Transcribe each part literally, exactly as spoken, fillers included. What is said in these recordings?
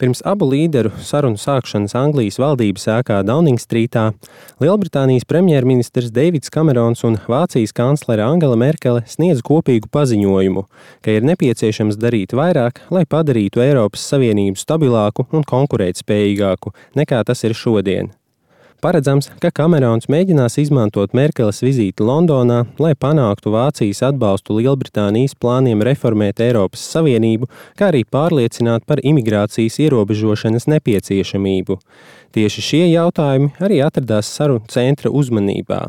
Pirms abu līderu sarunu sākšanas Anglijas valdības ēkā Downing-strītā Lielbritānijas premjerministrs Deivids Kamerons un Vācijas kanclere Angela Merkele sniedz kopīgu paziņojumu, ka ir nepieciešams darīt vairāk, lai padarītu Eiropas Savienību stabilāku un konkurētspējīgāku nekā tas ir šodien. Paredzams, ka Kamerons mēģinās izmantot Merkeles vizīti Londonā, lai panāktu Vācijas atbalstu Lielbritānijas plāniem reformēt Eiropas Savienību, kā arī pārliecināt par imigrācijas ierobežošanas nepieciešamību. Tieši šie jautājumi arī atradās sarunu centra uzmanībā.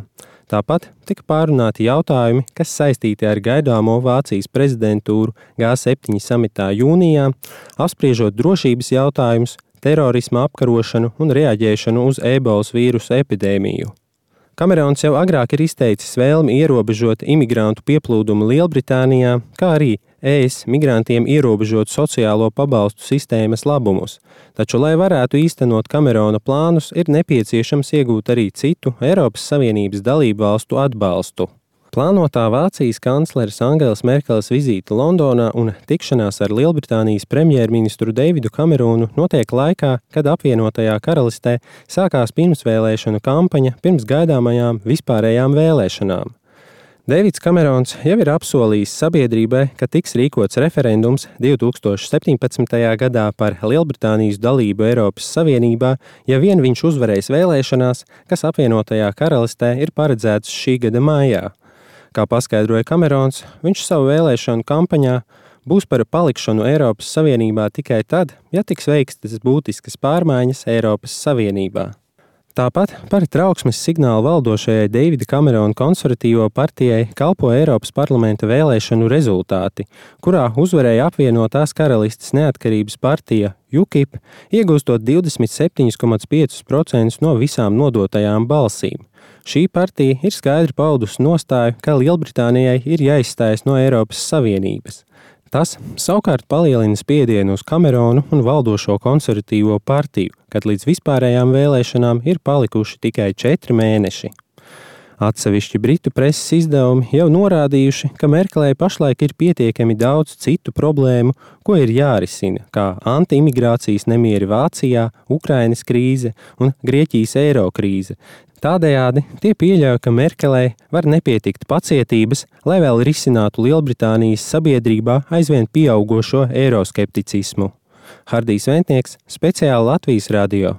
Tāpat tika pārunāti jautājumi, kas saistīti ar gaidāmo Vācijas prezidentūru G septiņi samitā jūnijā, apspriežot drošības jautājumus, terorisma apkarošanu un reaģēšanu uz ebolas vīrusa epidēmiju. Kamerons jau agrāk ir izteicis vēlmi ierobežot imigrantu pieplūdumu Lielbritānijā, kā arī E S migrantiem ierobežot sociālo pabalstu sistēmas labumus. Taču, lai varētu īstenot Kamerona plānus, ir nepieciešams iegūt arī citu Eiropas Savienības dalību valstu atbalstu. Plānotā Vācijas kancleres Angelas Merkeles vizīte Londonā un tikšanās ar Lielbritānijas premjerministru Deividu Kameronu notiek laikā, kad apvienotajā karalistē sākās pirmsvēlēšanu kampaņa pirms gaidāmajām vispārējām vēlēšanām. Deivids Kamerons jau ir apsolījis sabiedrībai, ka tiks rīkots referendums divi tūkstoši septiņpadsmitajā gadā par Lielbritānijas dalību Eiropas Savienībā, ja vien viņš uzvarēs vēlēšanās, kas apvienotajā karalistē ir paredzētas šī gada maijā. Kā paskaidroja Kamerons, viņš savu vēlēšanu kampaņā būs par palikšanu Eiropas Savienībā tikai tad, ja tiks veiktas būtiskas pārmaiņas Eiropas Savienībā. Tāpat par trauksmes signālu valdošajai Deivida Kamerona konservatīvo partijai kalpo Eiropas parlamenta vēlēšanu rezultāti, kurā uzvarēja apvienotās karalistes neatkarības partija U K I P, iegūstot divdesmit septiņus komats piecus procentus no visām nodotajām balsīm. Šī partija ir skaidri paudusi nostāju, ka Lielbritānijai ir jāizstājas no Eiropas Savienības. Tas savukārt palielina spiedienu uz Kameronu un valdošo konservatīvo partiju, kad līdz vispārējām vēlēšanām ir palikuši tikai četri mēneši. Atsevišķi britu preses izdevumi jau norādījuši, ka Merkelei pašlaik ir pietiekami daudz citu problēmu, ko ir jārisina, kā anti-imigrācijas nemieri Vācijā, Ukrainas krīze un Grieķijas eiro krīze. Tādējādi tie pieļauj, ka Merkelei var nepietikt pacietības, lai vēl risinātu Lielbritānijas sabiedrībā aizvien pieaugošo eiroskepticismu. Hardijs Ventnieks, speciāli Latvijas radio.